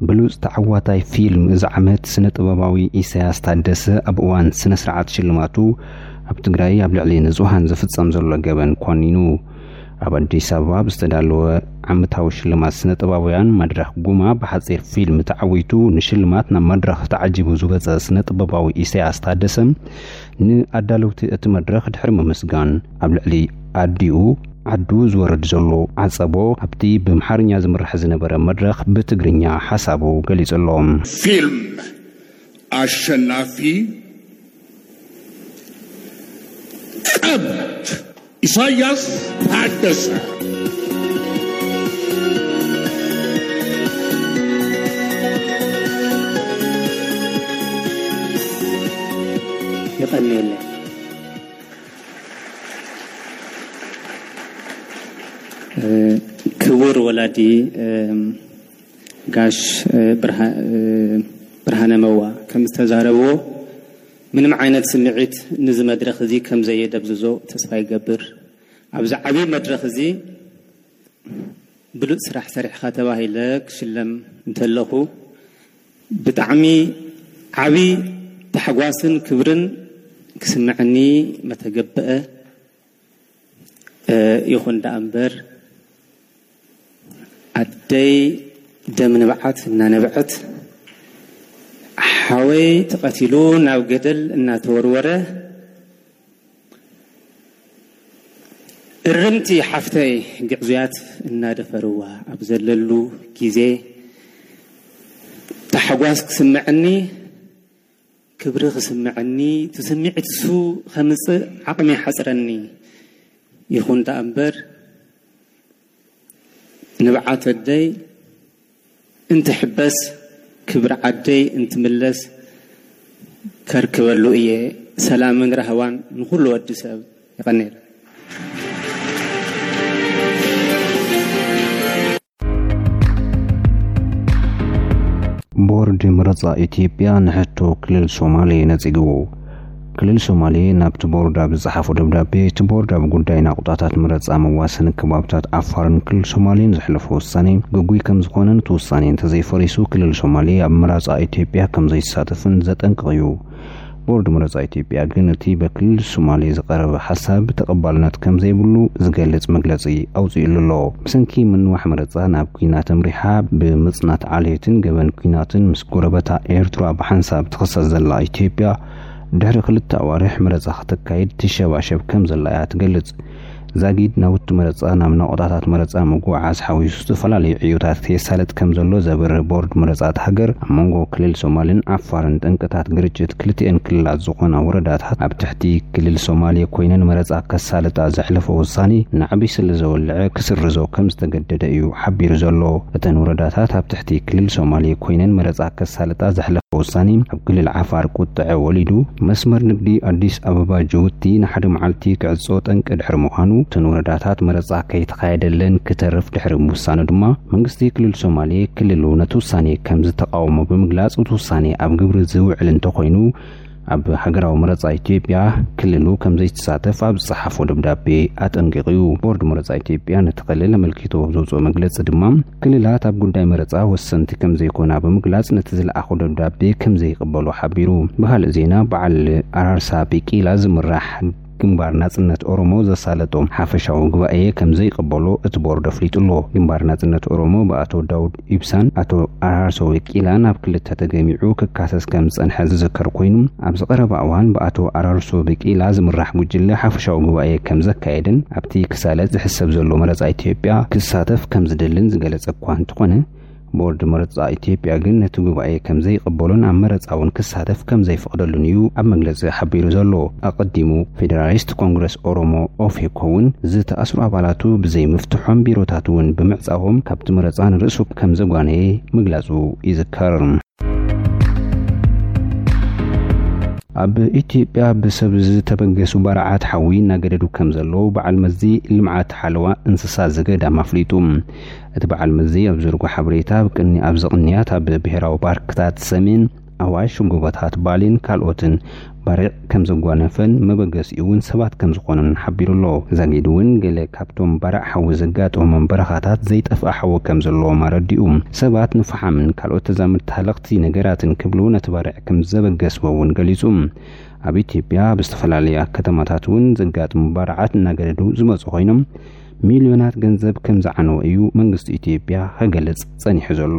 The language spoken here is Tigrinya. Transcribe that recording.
ብሉጽ ተዓዋታይ ፊልም እዚ ዓመት ስነ ጥበባዊ ኢሳያስ ታደሰ ኣብ እዋን ስነ ስርዓት ሽልማቱ ኣብ ትግራይ ኣብ ልዕሊ ንጹሃን ዝፍጸም ዘሎ ገበን ኮኒኑ። ኣብ ኣዲስ ኣበባ ብዝተዳለወ ዓመታዊ ሽልማት ስነ ጥበባውያን መድረኽ ጉማ ብሓጺር ፊልም ተዓዊቱ ንሽልማት ናብ መድረኽ ተዓጂቡ ዝወጸ ስነ ጥበባዊ ኢሳያስ ታደሰ ንኣዳለውቲ እቲ መድረኽ ድሕሪ ምምስጋን ኣብ ልዕሊ ኣዲኡ ዓዱ ዝወርድ ዘሎ ዓጸቦ ኣብቲ ብምሓርኛ ዝምራሕ ዝነበረ መድረኽ ብትግርኛ ሓሳቡ ገሊጹ ኣሎ። ፊልም ኣሸናፊ ቀብድ ኢሳያስ ታደሰ። የቐንየለይ። ክቡር ወላዲ ጋሽ ብርሃነ መዋ ከም ዝተዛረብዎ፣ ምንም ዓይነት ስምዒት ንዚ መድረኽ እዚ ከም ዘየደብዝዞ ተስፋ ይገብር። ኣብዚ ዓብዪ መድረኽ እዚ ብሉጽ ስራሕ ሰሪሕኻ ተባሂለ ክሽለም እንተለኹ፣ ብጣዕሚ ዓብዪ ታሕጓስን ክብርን ክስምዐኒ መተገበአ። ይኹን ደኣ እምበር፣ ኣደይ ደም ንብዓት እናነብዐት፣ ሓወይ ተቐቲሉ ናብ ገደል እናተወርወረ፣ እርምቲ ሓፍተይ ግዕዙያት እናደፈርዋ ኣብ ዘለሉ ግዜ፣ ታሕጓስ ክስምዐኒ፣ ክብሪ ክስምዐኒ፣ እቲ ስምዒት እሱ ከምጽእ ዓቕሚ ይሓጽረኒ። ይኹን ደኣ እምበር፣ ንብዓት ኣደይ እንትሕበስ፣ ክብሪ ዓደይ እንትምለስ ከርክበሉ እየ። ሰላምን ራህዋን ንኹሉ ወዲ ሰብ። ይቐንየልና። ቦርድ ምረጻ ኢትዮጵያ ንሕቶ ክልል ሶማሌ ነጺግዎ። ክልል ሶማሌ ናብቲ ቦርድ ኣብ ዝጸሓፎ ደብዳቤ፣ እቲ ቦርድ ኣብ ጉዳይ ናቑጣታት ምረጻ መዋሰኒ ከባብታት ዓፋርን ክልል ሶማሌን ዘሕለፎ ውሳኔ ግጉይ ከም ዝኾነን፣ እቲ ውሳኔ እንተዘይፈሪሱ ክልል ሶማሌ ኣብ ምረጻ ኢትዮጵያ ከም ዘይሳተፍን ዘጠንቅቕ እዩ። ቦርድ ምረጻ ኢትዮጵያ ግን እቲ በክልል ሶማሌ ዝቐረበ ሓሳብ ተቐባልነት ከም ዘይብሉ ዝገልጽ መግለጺ ኣውጺኡሉ ኣሎ። ብሰንኪ ምንዋሕ ምረጻ ናብ ኲናት ኣምሪሓ ብምጽናት ዓሌትን ገበን ኲናትን ምስ ጎረበታ ኤርትራ ብሓንሳብ ትኽሰስ ዘላ ኢትዮጵያ፣ ድሕሪ ክልተ ኣዋርሕ ምረጻ ከተካይድ ትሸባሸብ ከም ዘላ እያ ትገልጽ። ዛጊድ ናውቲ መረጻ ናብ ናቑጣታት መረጻ ምጉዕዓዝ ሓዊሱ ዝተፈላለዩ ዕዮታት የሳልጥ ከም ዘሎ ዘብርህ ቦርድ መረጻ እታ ሃገር፣ ኣብ መንጎ ክልል ሶማልን ዓፋርን ጠንቅታት ግርጭት ክልቲኤን ክልላት ዝኾና ወረዳታት ኣብ ትሕቲ ክልል ሶማሌ ኮይነን መረጻ ከሳልጣ ዘሕለፎ ውሳኔ ናዕቢ ስለ ዘወልዐ ክስርዞ ከም ዝተገደደ እዩ ሓቢሩ ዘሎ። እተን ወረዳታት ኣብ ትሕቲ ክልል ሶማሌ ኮይነን መረጻ ከሳልጣ ዘሕለፎ ውሳኔ ኣብ ክልል ዓፋር ቁጥዐ ወሊዱ፣ መስመር ንግዲ ኣዲስ ኣበባ ጅቡቲ ንሓደ መዓልቲ ክዕጾ ጠንቂ ድሕሪ ምዃኑ፣ እተን ወረዳታት መረጻ ከይተኻየደለን ክተርፍ ድሕሪ ምውሳኑ ድማ፣ መንግስቲ ክልል ሶማሌ ክልሉ ነቲ ውሳኔ ከም ዝተቃወሞ ብምግላጽ፣ እቲ ውሳኔ ኣብ ግብሪ ዝውዕል እንተኾይኑ፣ ኣብ ሃገራዊ መረጻ ኢትዮጵያ ክልሉ ከም ዘይተሳተፍ ኣብ ዝጸሓፎ ደብዳቤ ኣጠንቂቑ እዩ። ቦርድ መረጻ ኢትዮጵያ ነቲ ክልል ኣመልኪቱ ኣብ ዘውጽኦ መግለጺ ድማ፣ ክልላት ኣብ ጉዳይ መረጻ ወሰንቲ ከም ዘይኮና ብምግላጽ፣ ነቲ ዝለኣኾ ደብዳቤ ከም ዘይቕበሎ ሓቢሩ። ብኻልእ ዜና፣ በዓል ኣራርሳ ቢቂላ ዝምራሕ ግንባር ናጽነት ኦሮሞ ዘሳለጦ ሓፈሻዊ ጉባኤ ከም ዘይቕበሎ እቲ ቦርድ ኣፍሊጡ ኣሎ። ግንባር ናጽነት ኦሮሞ ብኣቶ ዳውድ ኢብሳን ኣቶ ኣራርሶ ቢቂላን ኣብ ክልተ ተገሚዑ ክካሰስ ከም ዝጸንሐ ዝዝከር ኮይኑ፣ ኣብዚ ቀረባ እዋን ብኣቶ ኣራርሶ ቢቂላ ዝምራሕ ጉጅለ ሓፈሻዊ ጉባኤ ከም ዘካየደን ኣብቲ ክሳለጥ ዝሕሰብ ዘሎ መረጻ ኢትዮጵያ ክሳተፍ ከም ዝደልን ዝገለጸ እኳ እንተኾነ፣ ቦርድ መረጻ ኢትዮጵያ ግን ነቲ ጉባኤ ከም ዘይቕበሎን ኣብ መረጻ እውን ክሳተፍ ከም ዘይፈቕደሉን እዩ ኣብ መግለጺ ሓቢሩ ዘሎ። ኣቐዲሙ ፌደራሊስት ኮንግረስ ኦሮሞ ኦፌኮ እውን ዝተኣስሩ ኣባላቱ ብዘይምፍትሖም ቢሮታት እውን ብምዕጻዎም ካብቲ መረጻ ንርእሱ ከም ዘጓነየ ምግላጹ ይዝከር። ኣብ ኢትዮጵያ ብሰብ ዝተበገሱ ባርዓት ሓዊ እናገደዱ ከም ዘለዉ በዓል መዚ ልምዓት ሓለዋ እንስሳ ዘገዳም ኣፍሊጡ። እቲ በዓል መዚ ኣብ ዘርጎ ሓበሬታ፣ ኣብ ቅኒ-፣ ኣብዚ ቅንያት ኣብ ብሄራዊ ፓርክታት ሰሜን ኣዋሽ፣ ጎቦታት ባሌን ካልኦትን ባርዕ ከም ዘጓነፈን መበገሲኡ እውን ሰባት ከም ዝኾኑን ሓቢሩ ኣሎ። ዛጊድ እውን ገለ ካብቶም ባርዕ ሓዊ ዘጋጠሞም በረኻታት ዘይጠፍኣ ሓዊ ከም ዘለዎም ኣረዲኡ። ሰባት ንፈሓምን ካልኦት ተዛመድቲ ሃለኽቲ ነገራትን ክብሉ ነቲ ባርዕ ከም ዘበገስዎ እውን ገሊጹ። ኣብ ኢትዮጵያ ኣብ ዝተፈላለያ ከተማታት እውን ዘጋጥሙ ባርዓት እናገደዱ ዝመፁ ኮይኖም፣ ሚልዮናት ገንዘብ ከም ዝዓነወ እዩ መንግስቲ ኢትዮጵያ ክገልጽ ጸኒሑ ዘሎ።